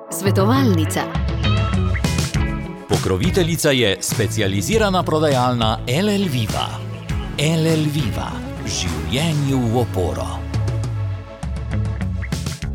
Svetovalnica. Pokroviteljica je specializirana prodajalna LL Viva. LL Viva. Življenju v oporo.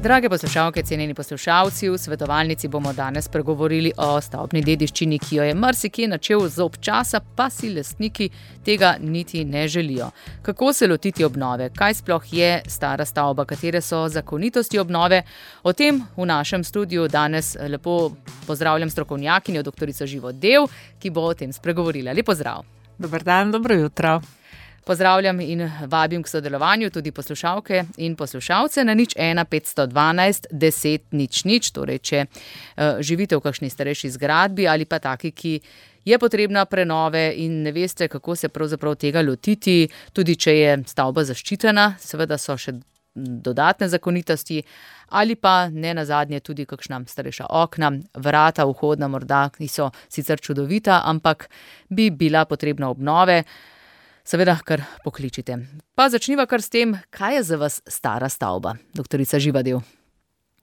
Drage poslušalke, cenjeni poslušalci, v svetovalnici bomo danes pregovorili o stavbni dediščini, ki jo je marsikje načel zob časa, pa si lastniki tega niti ne želijo. Kako se lotiti obnove? Kaj sploh je stara stavba? Katere so zakonitosti obnove? O tem v našem studiu danes lepo pozdravljam strokovnjakinjo doktorico Živo Dev, ki bo o tem spregovorila. Lep pozdrav. Dober dan, dobro jutro. Pozdravljam in vabim k sodelovanju tudi poslušalke in poslušalce na 01 512 10 00, torej če živite v kakšni starejši zgradbi ali pa taki, ki je potrebna prenove in ne veste, kako se pravzaprav tega lotiti, tudi če je stavba zaščitena, seveda so še dodatne zakonitosti, ali pa ne nazadnje tudi kakšna starejša okna, vrata, vhodna morda, ki so sicer čudovita, ampak bi bila potrebna obnove. Seveda, kar pokličite. Pa začniva kar s tem, kaj je za vas stara stavba, doktorica Živa Dev.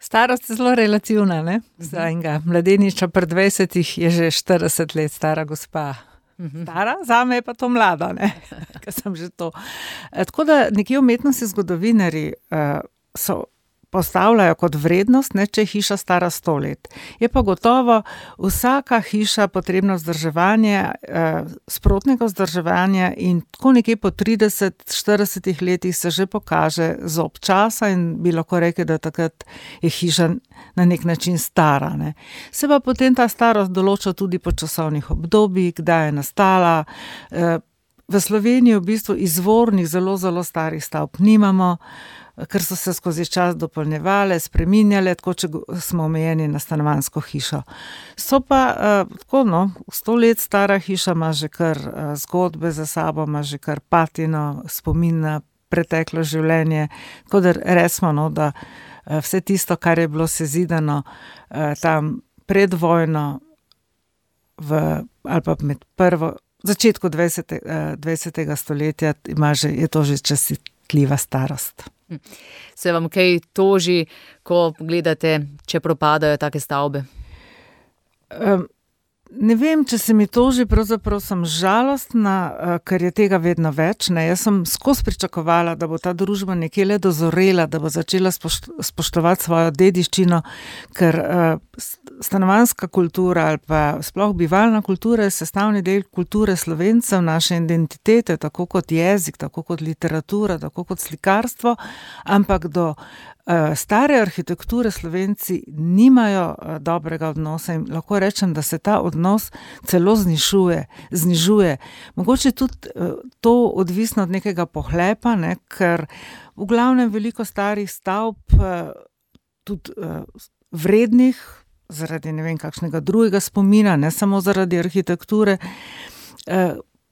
Starost je zelo relativna, ne? Za enega mladeniča pri 20 je že 40 let stara gospa. Stara, zame je pa to mlada, ne? Ker sem že to. Tako da nekje umetnosti zgodovinarji so postavljajo kot vrednost, ne, če je hiša stara 100 let. Je pa gotovo vsaka hiša potrebno vzdrževanje, sprotnega vzdrževanja in tako nekje po 30-40 letih se že pokaže zob časa in bi lahko rekli, da takrat je hiša na nek način stara. Ne. Se pa potem ta starost določa tudi po časovnih obdobjih, kdaj je nastala. V Sloveniji v bistvu izvornih zelo, zelo starih stavb nimamo, ker so se skozi čas dopolnjevale, spreminjale, tako če smo omejeni na stanovanjsko hišo. So pa tako, 100 let stara hiša ima že kar zgodbe za sabo, ima že kar patino, spomin na preteklo življenje, tako da resmo, da vse tisto, kar je bilo sezidano tam pred vojno ali pa med začetku 20. stoletja je to že častitljiva starost. Se vam kaj toži, ko gledate, če propadajo take stavbe? Ne vem, če se mi toži, pravzaprav sem žalostna, ker je tega vedno več. Ne. Jaz sem skozi pričakovala, da bo ta družba nekje le dozorela, da bo začela spoštovati svojo dediščino, ker stanovanjska kultura ali pa sploh bivalna kultura je sestavni del kulture Slovencev, naše identitete, tako kot jezik, tako kot literatura, tako kot slikarstvo, ampak do stare arhitekture Slovenci nimajo dobrega odnosa in lahko rečem, da se ta odnos celo znižuje. Mogoče tudi to odvisno od nekega pohlepa, ne, ker v glavnem veliko starih stavb, tudi vrednih, zaradi ne vem kakšnega drugega spomina, ne samo zaradi arhitekture,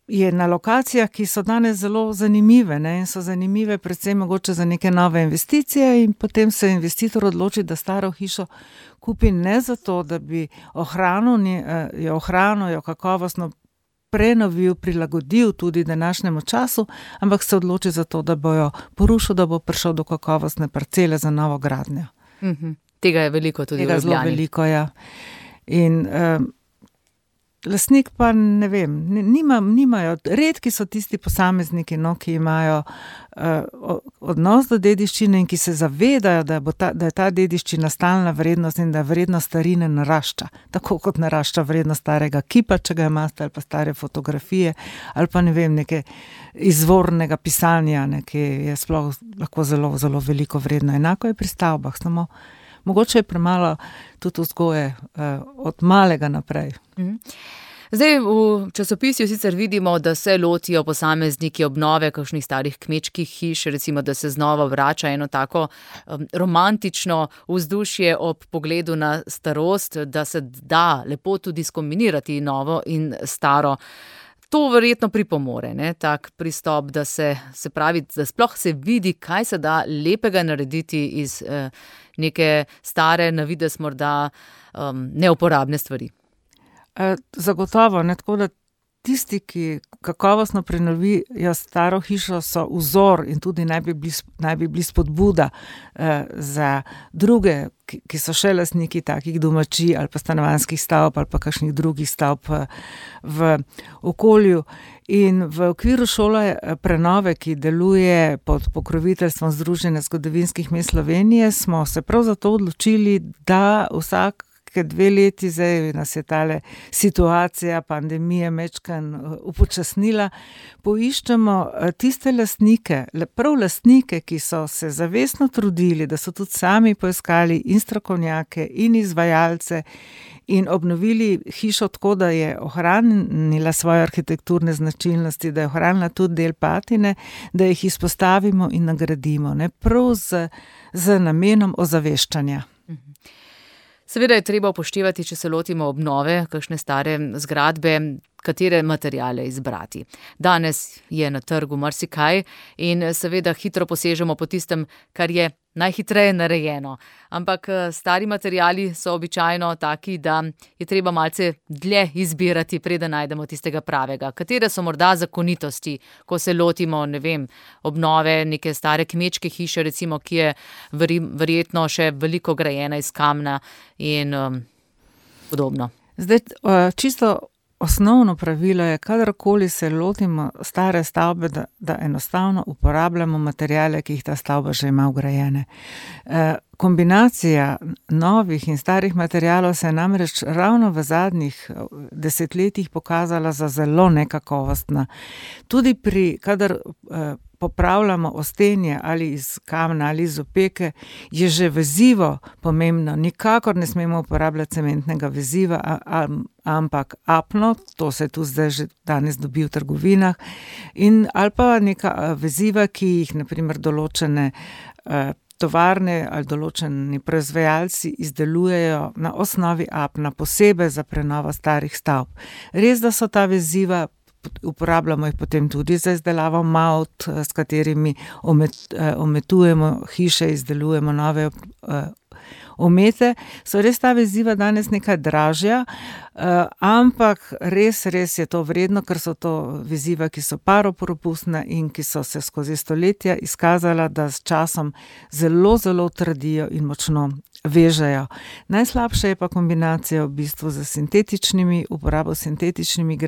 je na lokacijah, ki so danes zelo zanimive, ne, in so zanimive predvsem mogoče za neke nove investicije in potem se investitor odloči, da staro hišo kupi ne zato, da bi ohranil, kakovostno prenovil, prilagodil tudi današnjemu času, ampak se odloči za to, da bo jo porušil, da bo prišel do kakovostne parcele za novo gradnjo. Tega je veliko tudi v Ljubljani. Tega zelo veliko, ja. In lastnik pa ne vem, nimajo, redki so tisti posamezniki, ki imajo odnos do dediščine in ki se zavedajo, da je ta dediščina stalna vrednost in da vrednost starine narašča. Tako kot narašča vrednost starega kipa, če ga imate, ali pa stare fotografije, ali pa ne vem, neke izvornega pisanja, ki je sploh lahko zelo, zelo veliko vredno. Enako je pri stavbah, samo mogoče je premalo tudi vzgoje od malega naprej. Zdaj v časopisju sicer vidimo, da se lotijo posamezniki obnove kakšnih starih kmečkih hiš, recimo, da se znova vrača eno tako romantično vzdušje ob pogledu na starost, da se da lepo tudi skombinirati novo in staro. To verjetno pripomore, ne, tak pristop, da se pravi, da sploh se vidi, kaj se da lepega narediti iz neke stare, na videz morda neuporabne stvari. Zagotovo, ne, tako da tisti, ki kakovostno prenovijo staro hišo, so vzor in tudi naj bi bili spodbuda za druge, ki so še lastniki takih domačij ali pa stanovanjskih stavb ali pa kakšnih drugih stavb v okolju. In v okviru šole prenove, ki deluje pod pokroviteljstvom Združenja zgodovinskih mest Slovenije, smo se prav zato odločili, da vsake 2 leti, zdaj nas je tale situacija pandemije mečkan upočasnila, poiščemo tiste lastnike, prav lastnike, ki so se zavestno trudili, da so tudi sami poiskali in strokovnjake in izvajalce in obnovili hišo tako, da je ohranila svoje arhitekturne značilnosti, da je ohranila tudi del patine, da jih izpostavimo in nagradimo, ne, prav z namenom ozaveščanja. Seveda je treba upoštevati, če se lotimo obnove kakšne stare zgradbe, katere materiale izbrati. Danes je na trgu marsikaj in seveda hitro posežemo po tistem, kar je najhitreje narejeno. Ampak stari materiali so običajno taki, da je treba malce dlje izbirati, preden najdemo tistega pravega. Katere so morda zakonitosti, ko se lotimo, ne vem, obnove neke stare kmečke hiše, recimo, ki je verjetno še veliko grajena iz kamna in podobno. Zdaj, čisto osnovno pravilo je, kadarkoli se lotimo stare stavbe, da enostavno uporabljamo materiale, ki jih ta stavba že ima vgrajene. Kombinacija novih in starih materialov se je namreč ravno v zadnjih desetletjih pokazala za zelo nekakovostna. Tudi kadar popravljamo ostenje ali iz kamna ali iz opeke, je že vezivo pomembno. Nikakor ne smemo uporabljati cementnega veziva, ampak apno, to se tu zdaj že danes dobi v trgovinah, ali pa neka veziva, ki jih na primer določene tovarne ali določeni proizvajalci izdelujejo na osnovi apna, posebej za prenovo starih stavb. Res, da so ta veziva, uporabljamo jih potem tudi za izdelavo mavt, s katerimi ometujemo hiše, izdelujemo nove omete, so res ta veziva danes nekaj dražja, ampak res je to vredno, ker so to veziva, ki so paropropustna in ki so se skozi stoletja izkazala, da s časom zelo, zelo trdijo in močno vežejo. Najslabša je pa kombinacija v bistvu z uporabo sintetičnimi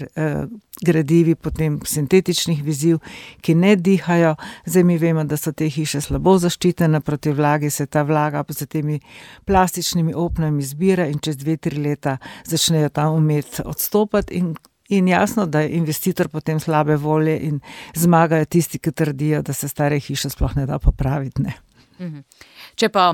gradivi, potem sintetičnih veziv, ki ne dihajo. Zdaj mi vemo, da so te hiše slabo zaščitene proti vlagi, se ta vlaga z temi plastičnimi opnami zbira in čez 2-3 leta začnejo ta omet odstopati in jasno, da je investitor potem slabe volje in zmagajo tisti, ki trdijo, da se stare hiše sploh ne da popraviti, ne. Če pa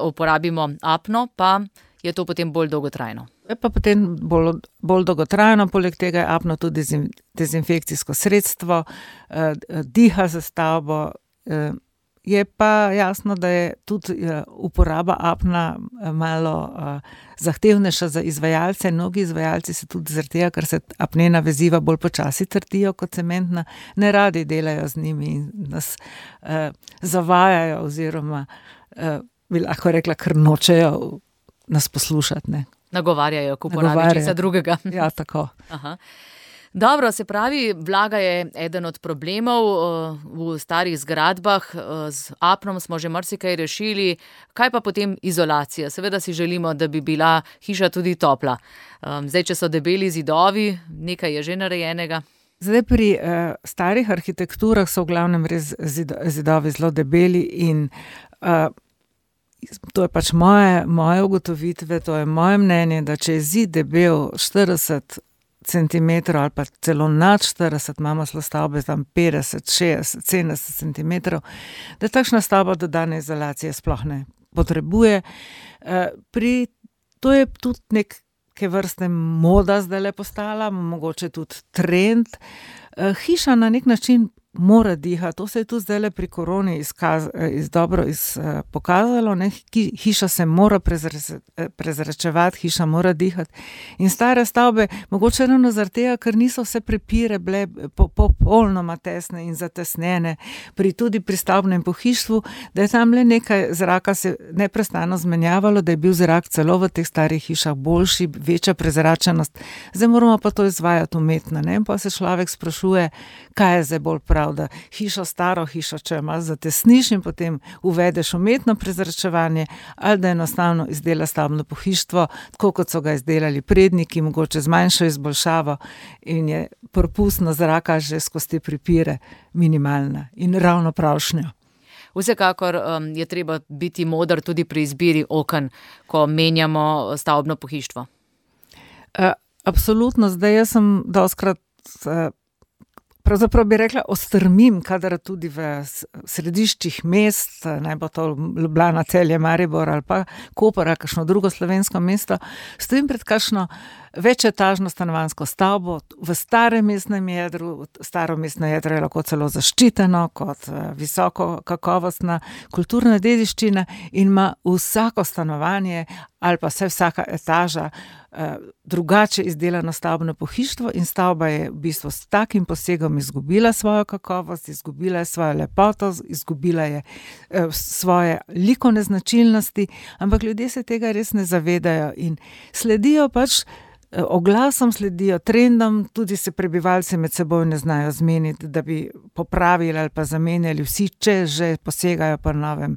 uporabimo apno, pa je to potem bolj dolgotrajno. Je pa potem bolj dolgotrajno, poleg tega je apno tudi dezinfekcijsko sredstvo, diha za stavbo, je pa jasno, da je tudi uporaba apna malo zahtevnejša za izvajalce. Mnogi izvajalci se tudi zaradi tega, ker se apnena veziva bolj počasi trdijo kot cementna, ne radi delajo z njimi in nas zavajajo oziroma bi lahko rekla, ker nočejo nas poslušati, ne. Nagovarjajo k uporabi česa drugega. Ja, tako. Aha. Dobro, se pravi, vlaga je eden od problemov v starih zgradbah, z apnom smo že marsikaj rešili, kaj pa potem izolacija? Seveda si želimo, da bi bila hiša tudi topla. Zdaj, če so debeli zidovi, nekaj je že narejenega. Zdaj pri starih arhitekturah so v glavnem res zidovi zelo debeli in to je pač moje ugotovitve, to je moje mnenje, da če je zid debel 40 centimetrov ali pa celo nad 40, imamo celo stavbe tam 50, 60, 70 centimetrov, da takšna stavba dodane izolacije sploh ne potrebuje. To je tudi neke vrste moda zdajle postala, mogoče tudi trend. Hiša na nek način mora dihati. To se je tudi zdaj pri koroni pokazalo. Ne? Hiša se mora prezračevati, hiša mora dihati. In stare stavbe, mogoče ravno zaradi tega, ker niso vse prepire bile popolnoma tesne in zatesnjene, tudi pri stavbnem pohištvu, da je tam le nekaj zraka se neprestano zmenjavalo, da je bil zrak celo v teh starih hišah boljši, večja prezračenost. Zdaj moramo pa to izvajati umetno. Ne? Pa se človek sprašuje, kaj je zdaj bolj prav, da staro hišo, če malo zatesniš in potem uvedeš umetno prezračevanje, ali da enostavno izdela stavbno pohištvo, tako kot so ga izdelali predniki, mogoče z manjšo izboljšavo in je propustno zraka že skozi te pripire minimalna in ravno pravšnja. Vsekakor je treba biti moder tudi pri izbiri oken, ko menjamo stavbno pohištvo. Absolutno, zdaj jaz sem dostikrat pravzaprav bi rekla, ostrmim, kadar tudi v središčih mest, naj bo to Ljubljana, Celje, Maribor ali pa Koper, kakšno drugo slovensko mesto, stojim pred kakšno večetažno stanovanjsko stavbo v starem mestnem jedru. Staro mestno jedro je lahko celo zaščiteno kot visoko kakovostna kulturna dediščina in ima vsako stanovanje ali pa vsaka etaža drugače izdelano stavbno pohištvo in stavba je v bistvu s takim posegom izgubila svojo kakovost, izgubila je svojo lepoto, izgubila je svoje likovne značilnosti, ampak ljudje se tega res ne zavedajo in sledijo oglasom, sledijo trendom, tudi se prebivalci med seboj ne znajo zmeniti, da bi popravili ali pa zamenjali vsi, če že posegajo po novem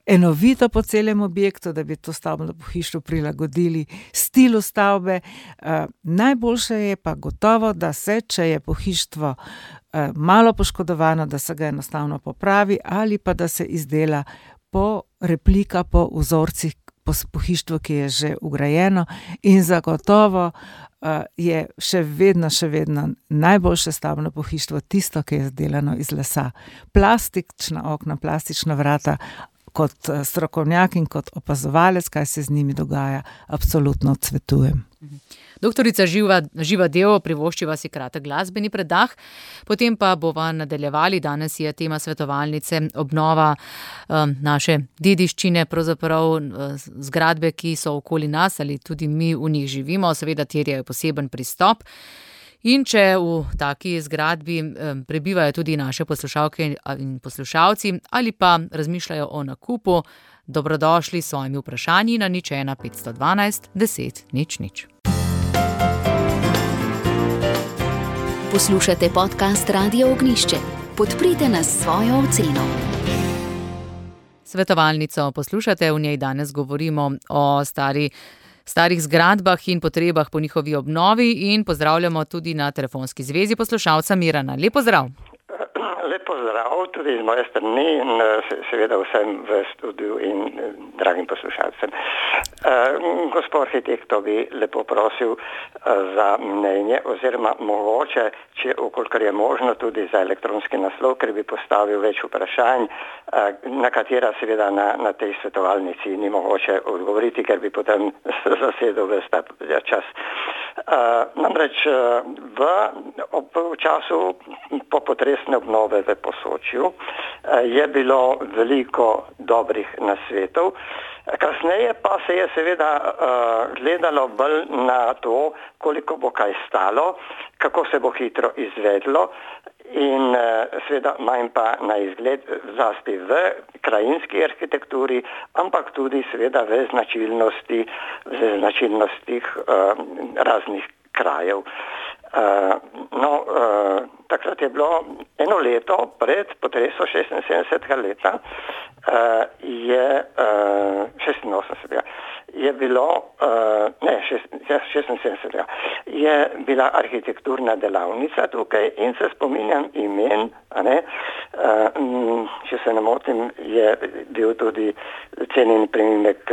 enovito po celem objektu, da bi to stavbno pohištvo prilagodili stilu stavbe. Najboljše je pa gotovo, da se, če je pohištvo malo poškodovano, da se ga enostavno popravi ali pa da se izdela replika po vzorcih pohištvo, ki je že vgrajeno in zagotovo je še vedno najboljše stavbno pohištvo tisto, ki je izdelano iz lesa. Plastična okna, plastična vrata, kot strokovnjak in kot opazovalec, kaj se z njimi dogaja, absolutno odsvetujem. Doktorica Živa Dev, privoščiva si kratek glasbeni predah, potem pa bova nadaljevali. Danes je tema svetovalnice obnova naše dediščine, pravzaprav zgradbe, ki so okoli nas ali tudi mi v njih živimo, seveda terjajo poseben pristop. In če v taki zgradbi prebivajo tudi naše poslušalke in poslušalci ali pa razmišljajo o nakupu, dobrodošli s svojimi vprašanji na 01 512 10 00. Poslušate podcast Radio Ognjišče. Podprite nas s svojo oceno. Svetovalnico poslušate, v njej danes govorimo o starih zgradbah in potrebah po njihovi obnovi in pozdravljamo tudi na telefonski zvezi poslušalca Mirana. Lep pozdrav. Lep pozdrav tudi z moje strani in seveda vsem v studiu in dragim poslušalcem. Gospod arhitektov bi lepo prosil za mnenje oziroma mogoče, če okolikor je možno tudi za elektronski naslov, ker bi postavil več vprašanj, na katera seveda na tej svetovalnici ni mogoče odgovoriti, ker bi potem zasedel ves ta čas. Namreč v času popotresne obnove v Posočju je bilo veliko dobrih nasvetov. Kasneje pa se je seveda gledalo bolj na to, koliko bo kaj stalo, kako se bo hitro izvedlo in seveda manj pa na izgled, zlasti v krajinski arhitekturi, ampak tudi seveda v značilnostih raznih krajev. Takrat je bilo eno leto pred potresom 76. leta, je 86. je bilo, 76. je bila arhitekturna delavnica tukaj in se spominjam imen, če se ne motim, je bil tudi cenjeni priimek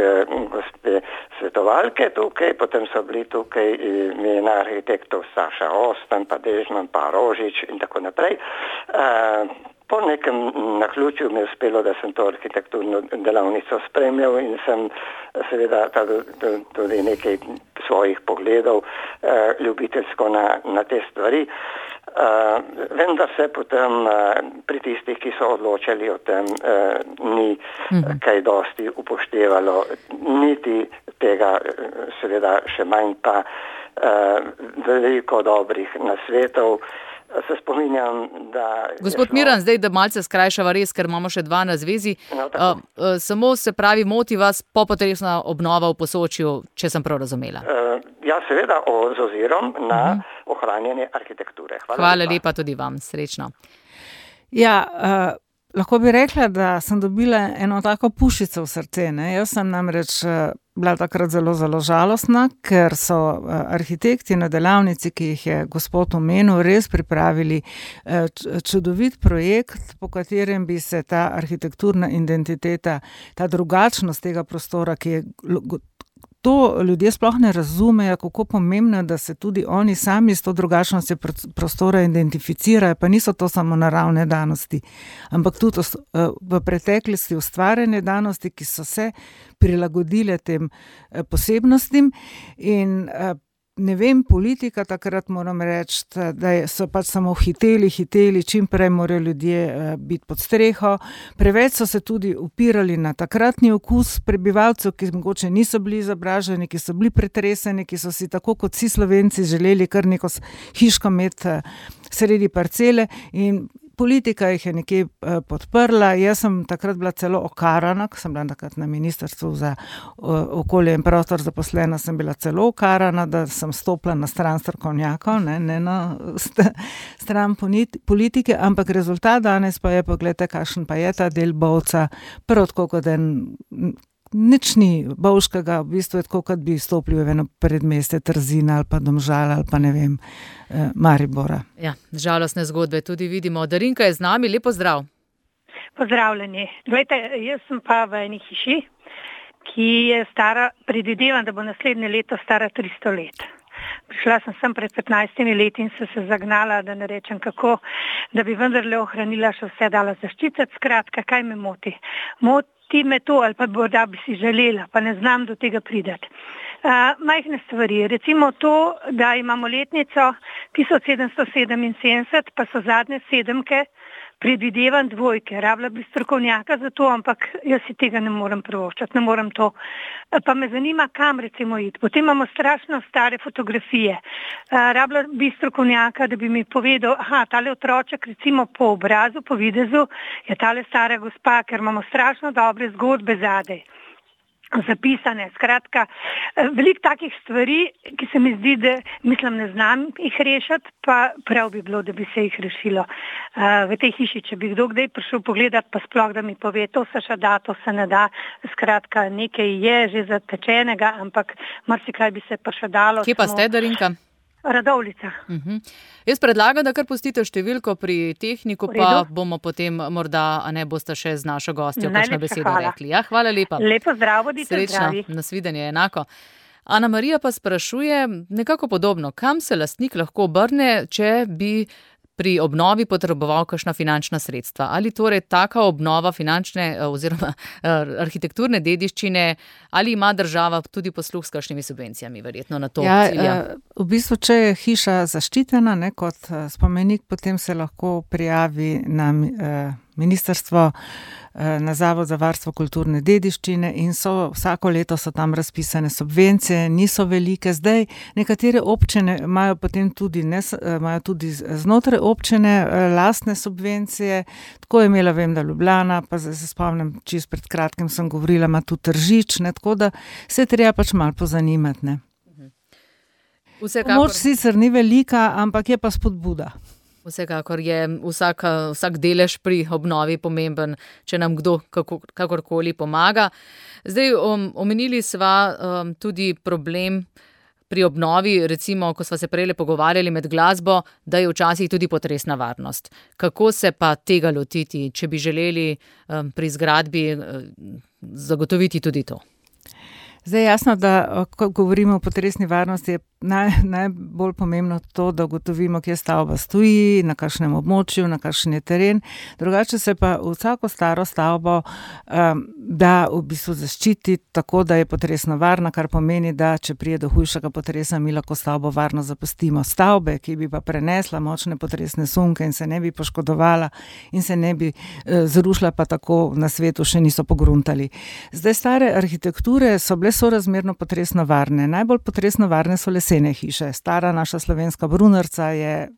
gospe svetovalke tukaj, potem so bili tukaj imena arhitektov Saša Ostan, pa Dežman, pa Rožič in tako naprej. Po nekem naključju mi je uspelo, da sem to arhitekturno delavnico spremljal in sem seveda tudi nekaj svojih pogledov ljubiteljsko na te stvari. Vendar se potem pri tistih, ki so odločali o tem, ni kaj dosti upoštevalo, niti tega seveda še manj pa veliko dobrih nasvetov. Se spominjam, da... Gospod Miran, zdaj, da malce skrajšava res, ker imamo še dva na zvezi. Samo se pravi, moti vas popotresna obnova v Posočju, če sem prav razumela. Ja, seveda, z ozirom na ohranjanje arhitekture. Hvala lepa tudi vam, srečno. Ja, lahko bi rekla, da sem dobila eno tako pušico v srce. Jaz sem namreč bila takrat zelo, zelo žalostna, ker so arhitekti na delavnici, ki jih je gospod omenil, res pripravili čudovit projekt, po katerem bi se ta arhitekturna identiteta, ta drugačnost tega prostora, ki je to ljudje sploh ne razumejo, kako pomembno je, da se tudi oni sami s to drugačnostjo prostora identificirajo, pa niso to samo naravne danosti, ampak tudi v preteklosti ustvarjene danosti, ki so se prilagodile tem posebnostim in ne vem, politika takrat moram reči, da so pač samo hiteli, čim prej morajo ljudje biti pod streho. Preveč so se tudi upirali na takratni okus prebivalcev, ki mogoče niso bili izobraženi, ki so bili pretreseni, ki so si tako kot vsi Slovenci želeli kar neko hiško imeti sredi parcele in politika jih je nekje podprla. Jaz sem takrat bila celo okarana, ko sem bila takrat na Ministrstvu za okolje in prostor zaposlena, sem bila celo okarana, da sem stopila na stran strokovnjakov, ne na stran politike, ampak rezultat danes pa je, poglejte, kakšen pa je ta del Bovca, prvo tako kot nič ni bovškega, v bistvu je tako, kot bi stopili v eno predmestje Trzina ali pa Domžal ali pa ne vem, Maribora. Ja, žalostne zgodbe tudi vidimo. Darinka je z nami, lep pozdrav. Pozdravljeni. Glejte, jaz sem pa v eni hiši, ki je stara, predvidevam, da bo naslednje leto stara 300 let. Prišla sem pred 15 leti in sem se zagnala, da ne rečem kako, da bi vendarle ohranila še vse, dala zaščititi. Skratka, kaj me moti? Moti me to, ali pa morda bi si želela, pa ne znam do tega prideti. Majhne stvari, recimo to, da imamo letnico 1777, pa so zadnje sedemke, predvidevam dvojke, rabila bi strokovnjaka za to, ampak jaz si tega ne morem privoščiti, ne morem to. Pa me zanima, kam recimo iti. Potem imamo strašno stare fotografije. Rabila bi strokovnjaka, da bi mi povedal, tale otroček recimo po obrazu, po videzu, je tale stara gospa, ker imamo strašno dobre zgodbe zadaj zapisane. Skratka, veliko takih stvari, ki se mi zdi, da ne znam jih rešiti, pa prav bi bilo, da bi se jih rešilo. V tej hiši, če bi kdo kdaj prišel pogledati, pa sploh, da mi pove, to se še da, to se ne da. Skratka, nekaj je že zatečenega, ampak marsikaj bi se pa še dalo. Kje pa ste, Darinka? Radovljica. Jaz predlagam, da kar pustite številko pri tehniku, pa bomo potem morda, boste še z našo gostjo kakšno besedo rekli. Ja, hvala lepa. Lepo zdrav, bodite zdravi. Srečno, nasvidenje enako. Ana Marija pa sprašuje nekako podobno, kam se lastnik lahko obrne, če bi pri obnovi potreboval kakšna finančna sredstva. Ali torej taka obnova finančne oziroma arhitekturne dediščine, ali ima država tudi posluh s kakšnimi subvencijami, verjetno na to cilja? V bistvu, če je hiša zaščitena kot spomenik, potem se lahko prijavi na ministrstvo, na Zavod za varstvo kulturne dediščine in vsako leto so tam razpisane subvencije, niso velike. Zdaj nekatere občine imajo potem tudi, imajo tudi znotraj občine lastne subvencije. Tako je imela, vem, da Ljubljana, pa se spomnim, čisto pred kratkim sem govorila, ima tudi Tržič, tako da se treba pač malo pozanimati. Pomoč sicer ni velika, ampak je pa spodbuda. Vsekakor je vsak delež pri obnovi pomemben, če nam kdo kakorkoli pomaga. Zdaj, omenili sva tudi problem pri obnovi, recimo, ko sva se prej pogovarjali med glasbo, da je včasih tudi potresna varnost. Kako se pa tega lotiti, če bi želeli pri zgradbi zagotoviti tudi to? Zdaj jasno, da ko govorimo o potresni varnosti, je najbolj pomembno to, da ugotovimo, kje stavba stoji, na kakšnem območju, na kakšen je teren. Drugače se pa vsako staro stavbo da v bistvu zaščiti tako, da je potresno varna, kar pomeni, da če prije do hujšega potresa, mi lahko stavbo varno zapustimo. Stavbe, ki bi pa prenesla močne potresne sunke in se ne bi poškodovala in se ne bi zrušila, pa tako na svetu še niso pogruntali. Zdaj, stare arhitekture so bile sorazmerno potresno varne. Najbolj potresno varne so lesene hiše. Stara naša slovenska Brunarca je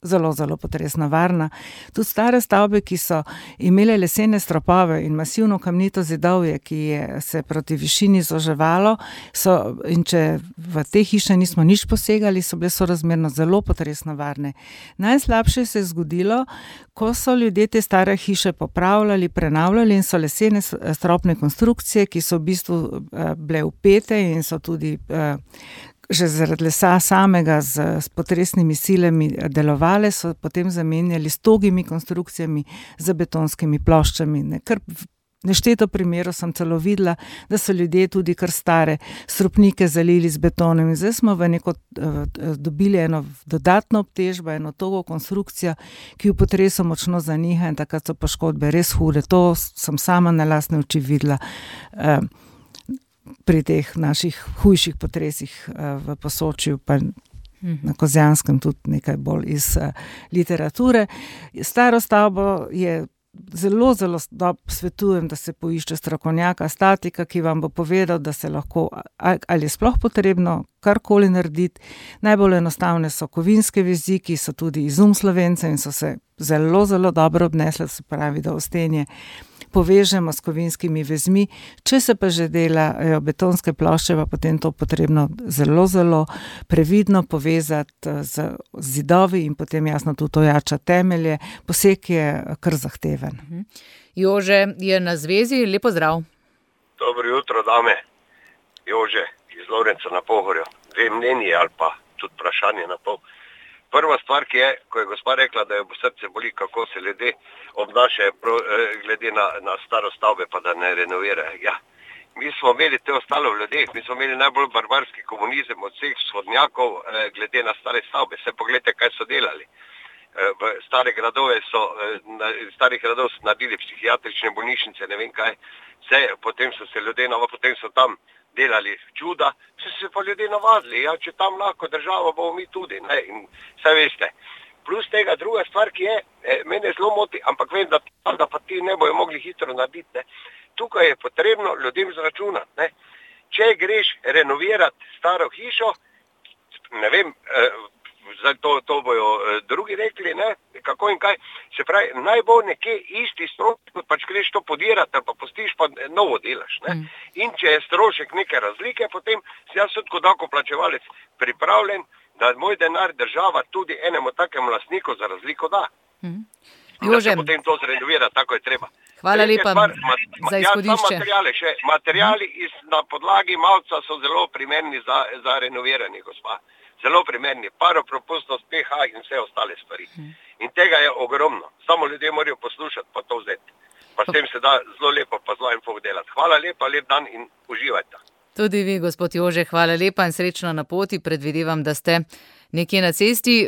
zelo, zelo potresno varna. Tudi stare stavbe, ki so imele lesene stropove in masivno kamnito zidovje, ki je se proti višini zoževalo, in če v te hiše nismo nič posegali, so bile sorazmerno zelo potresno varne. Najslabše se je zgodilo, ko so ljudje te stare hiše popravljali, prenavljali in so lesene stropne konstrukcije, ki so v bistvu bile vpete in so tudi že zaradi lesa samega s potresnimi silami delovale, so potem zamenjali s togimi konstrukcijami z betonskimi ploščami. Kar nešteto primerov sem celo videla, da so ljudje tudi kar stare stropnike zalili z betonom. In zdaj smo dobili eno dodatno obtežbo, eno togo konstrukcijo, ki v potresu močno zaniha in takrat so poškodbe res hude. To sem sama na lastne oči videla pri teh naših hujših potresih v Posočju, pa na Kozjanskem tudi nekaj bolj iz literature. Staro stavbo je zelo, zelo svetujem, da se poišče strokovnjaka, statika, ki vam bo povedal, da se lahko, ali je sploh potrebno karkoli narediti. Najbolj enostavne so kovinske vezi, ki so tudi izum Slovencev in so se zelo, zelo dobro obnesle, se pravi, da ostenje povežemo s kovinskimi vezmi. Če se pa že delajo betonske plošče, pa potem to potrebno zelo, zelo previdno povezati z zidovi in potem jasno tudi ojača temelje. Poseg je kar zahteven. Jože je na zvezi, lepo zdrav. Dobro jutro, dame. Jože iz Lovrenca na Pohorju. Dve mnenji ali pa tudi vprašanje na pol. Prva stvar, ki je, ko je gospa rekla, da jo srce boli, kako se ljudje obnašajo glede na staro stavbe, pa da ne renovirajo. Ja. Mi smo imeli te ostalo v ljudeh, mi smo imeli najbolj barbarski komunizem od vseh vzhodnjakov glede na stare stavbe. Se pogledajte, kaj so delali. V starih gradov so naredili psihiatrične bolnišnice, ne vem kaj. Potem so se ljudje potem so tam delali čuda, se pa ljudje navadili, ja, če tam lahko država, bomo mi tudi, ne, in vse veste. Plus tega druga stvar, ki je, mene zelo moti, ampak vem, da pa ti ne bojo mogli hitro narediti, ne. Tukaj je potrebno ljudem zračunati, ne. Če greš renovirati staro hišo, ne vem, to bojo drugi rekli, ne, kako in kaj, se pravi, naj bo nekje isti strošek, kot pač greš to podirati, ali pa postiš, pa novo delaš, ne. In če je strošek neke razlike, potem si jaz tudi kot davkoplačevalec pripravljen, da moj denar država tudi enemu takemu lastniku za razliko da. Jože. Da se potem to zrenovira, tako je treba. Hvala lepa za izhodišče. Materiali na podlagi malca so zelo primerni za renoviranje, gospa. Zelo primerni, paropropustnost, pH in vse ostale stvari. In tega je ogromno. Samo ljudje morajo poslušati, pa to vzeti. Pa s tem se da zelo lepo, pa zelo info delati. Hvala lepa, lep dan in uživajte. Tudi vi, gospod Jože, hvala lepa in srečno na poti. Predvidevam, da ste nekje na cesti.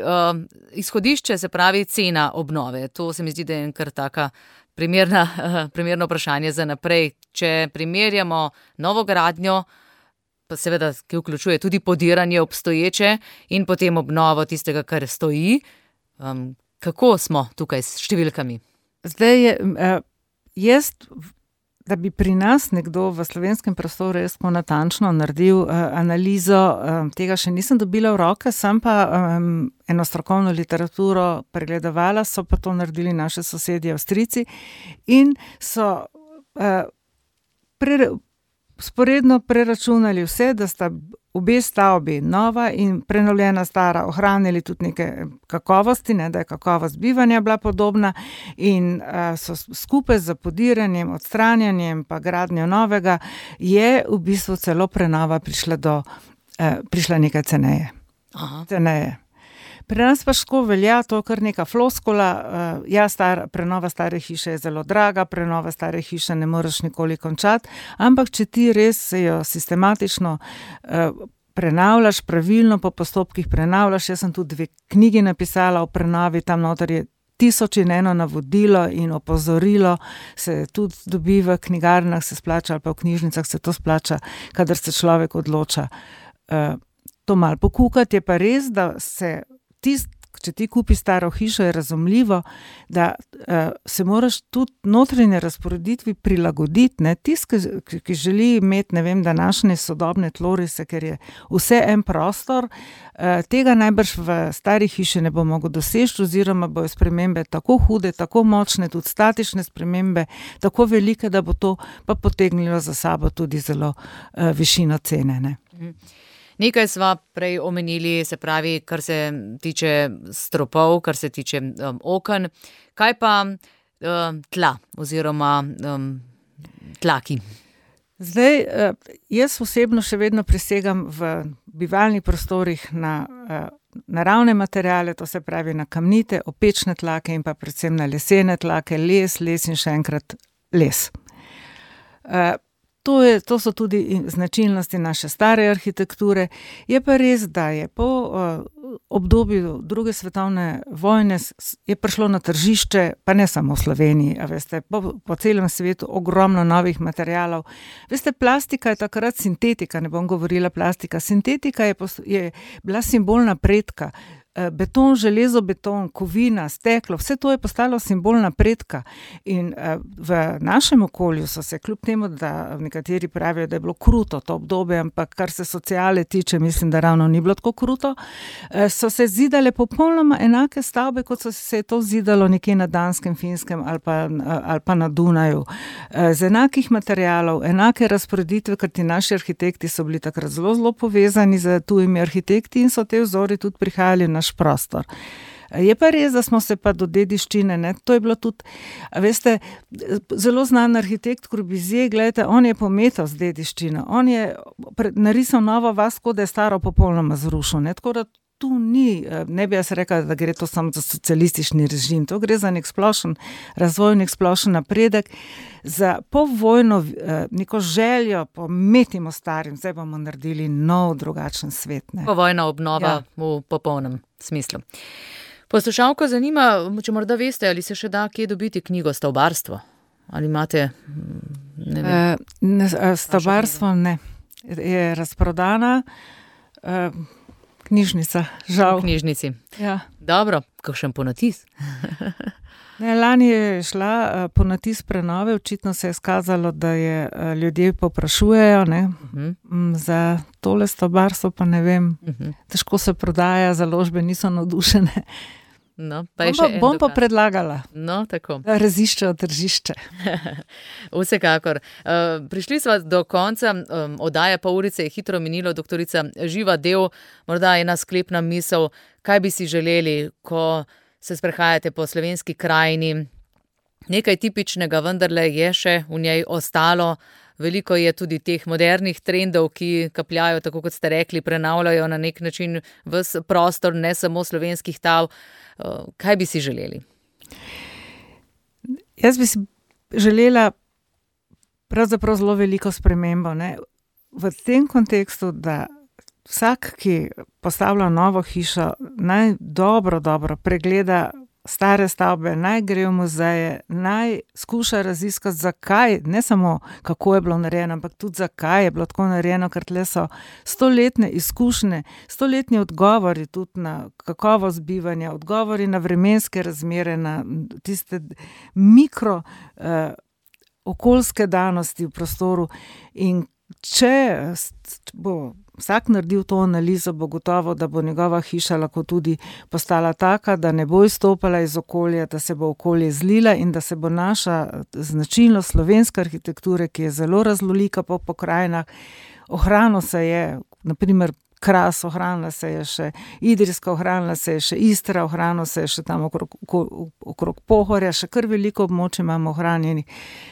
Izhodišče, se pravi cena obnove. To se mi zdi, da je kar taka primerno vprašanje za naprej. Če primerjamo novogradnjo, pa seveda, ki vključuje tudi podiranje obstoječe in potem obnovo tistega, kar stoji. Kako smo tukaj s številkami? Zdaj jaz, da bi pri nas nekdo v slovenskem prostoru res natančno naredil analizo, tega še nisem dobila v roke, sem pa eno strokovno literaturo pregledovala, so pa to naredili naše sosedje Avstrijci in so sporedno preračunali vse, da sta obe stavbi, nova in prenovljena stara, ohranili tudi neke kakovosti, ne, da je kakovost bivanja bila podobna in so skupaj z podiranjem, odstranjanjem pa gradnjo novega je v bistvu celo prenova prišla nekaj ceneje. Ceneje. Pri nas pa ško velja to kar neka floskula, prenova stare hiše je zelo draga, prenova stare hiše ne moreš nikoli končati, ampak če ti res jo sistematično prenavljaš pravilno, po postopkih prenavljaš. Jaz sem tudi 2 knjigi napisala o prenavi, tam noter je 1001 navodilo in opozorilo, se tudi dobi v knjigarnah, se splača, ali pa v knjižnicah se to splača, kadar se človek odloča to malo pokukati. Je pa res, da se če ti kupi staro hišo, je razumljivo, da se moraš tudi notranje razporeditvi prilagoditi, ne? Tist, ki želi imeti, ne vem, današnje sodobne tlorise, ker je vse en prostor, tega najbrž v stari hiši ne bo mogel doseči, oziroma bojo spremembe tako hude, tako močne, tudi statične spremembe, tako velike, da bo to pa potegnilo za sabo tudi zelo višino cene, ne? Nekaj sva prej omenili, se pravi, kar se tiče stropov, kar se tiče oken. Kaj pa tla oziroma tlaki? Zdaj, jaz osebno še vedno prisegam v bivalnih prostorih na naravne materiale, to se pravi na kamnite, opečne tlake in pa predvsem na lesene tlake, les in še enkrat les. To so tudi značilnosti naše stare arhitekture. Je pa res, da je po obdobju druge svetovne vojne je prišlo na tržišče, pa ne samo v Sloveniji, a veste, po celem svetu ogromno novih materialov. Veste, plastika je takrat sintetika, ne bom govorila plastika. Sintetika je bila simbol napredka. Beton, železo, beton, kovina, steklo, vse to je postalo simbol napredka. In v našem okolju so se, kljub temu, da nekateri pravijo, da je bilo kruto to obdobje, ampak kar se sociale tiče, mislim, da ravno ni bilo tako kruto, so se zidale popolnoma enake stavbe, kot se je to zidalo nekje na Danskem, Finskem ali pa na Dunaju. Z enakih materialov, enake razporeditve, ker ti naši arhitekti so bili takrat zelo povezani z tujimi arhitekti in so te vzori tudi prihajali v naš prostor. Je pa res, da smo se pa do dediščine, ne, to je bilo tudi, veste, zelo znan arhitekt Corbusier, gledajte, on je pometal z dediščino, on je narisal novo vas, kot da je staro popolnoma zrušil, ne, tako da tu ni, ne bi jaz rekla, da gre to samo za socialistični režim, to gre za nek splošen razvoj, nek splošen napredek, za povojno neko željo, pometimo starim, zdaj bomo naredili nov, drugačen svet. Ne. Povojna obnova v popolnem smislu. Poslušalko zanima, če morda veste, ali se še da kje dobiti knjigo Stavbarstvo? Ali imate, ne vem? Stavbarstvo ne. Je razprodana, knjižnica, žal. V knjižnici. Ja. Dobro, kakšen ponatis? Lani je šla ponatis prenove, očitno se je skazalo, da je ljudje povprašujejo, ne, za tole stavbarstvo, pa ne vem, težko se prodaja, založbe niso navdušene. No, bom pa predlagala, tako. Da raziščejo tržišče. Vsekakor. Prišli smo do konca oddaje, pol urice je hitro minilo, doktorica Živa Dev, morda ena sklepna misel, kaj bi si želeli, ko se sprehajate po slovenski krajini. Nekaj tipičnega vendarle je še v njej ostalo. Veliko je tudi teh modernih trendov, ki kapljajo, tako kot ste rekli, prenavljajo na nek način ves prostor, ne samo slovenskih tav. Kaj bi si želeli? Jaz bi si želela pravzaprav zelo veliko spremembo, ne? V tem kontekstu, da vsak, ki postavlja novo hišo, naj dobro pregleda stare stavbe, naj gre v muzeje, naj skuša raziskati, zakaj, ne samo kako je bilo narejeno, ampak tudi zakaj je bilo tako narejeno, ker tle so stoletne izkušnje, stoletni odgovori tudi na kakovost bivanja, odgovori na vremenske razmere, na tiste mikro okoljske danosti v prostoru. In če bo vsak naredil to analizo, bo gotovo, da bo njegova hiša lahko tudi postala taka, da ne bo izstopala iz okolja, da se bo okolje zlila in da se bo naša značilnost slovenske arhitekture, ki je zelo raznolika po pokrajinah, ohranila se je, na primer Kras, ohranila se je še Idrijska, ohranila se je še Istra, ohranila se je še tam okrog Pohorja, še kar veliko območij imamo ohranjenih,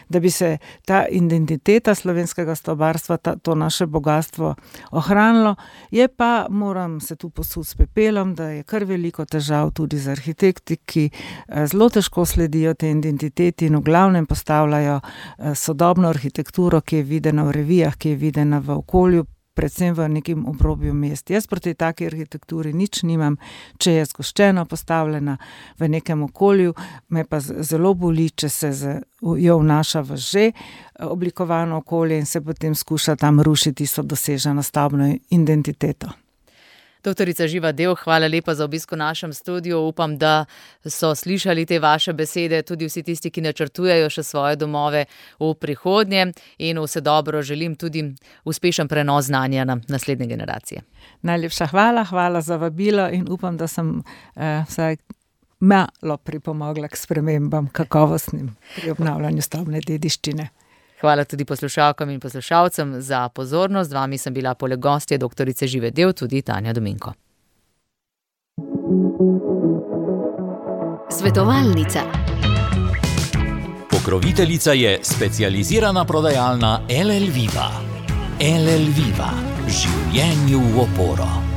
da bi se ta identiteta slovenskega stavbarstva, to naše bogatstvo ohranilo. Je pa, moram se tu posuditi s pepelom, da je kar veliko težav tudi z arhitekti, ki zelo težko sledijo te identiteti in v glavnem postavljajo sodobno arhitekturo, ki je videna v revijah, ki je videna v okolju, predvsem v nekem obrobju mest. Jaz proti taki arhitekturi nič nimam, če je zgoščeno postavljena v nekem okolju, me pa zelo boli, če se jo vnaša v že oblikovano okolje in se potem skuša tam rušiti tisto doseženo stavbno identiteto. Doktorica Živa Dev, hvala lepa za obisk v našem studiu. Upam, da so slišali te vaše besede tudi vsi tisti, ki načrtujejo še svoje domove v prihodnje, in vse dobro želim tudi uspešen prenos znanja na naslednje generacije. Najlepša hvala za vabilo in upam, da sem vsaj malo pripomogla k spremembam kakovostnim pri obnavljanju stavbne dediščine. Hvala tudi poslušalkam in poslušalcem za pozornost. Z vami sem bila poleg gostje doktorice Žive Dev tudi Tanja Dominko. Svetovalnica. Pokroviteljica je specializirana prodajalna LL Viva. LL Viva. Življenju v oporo.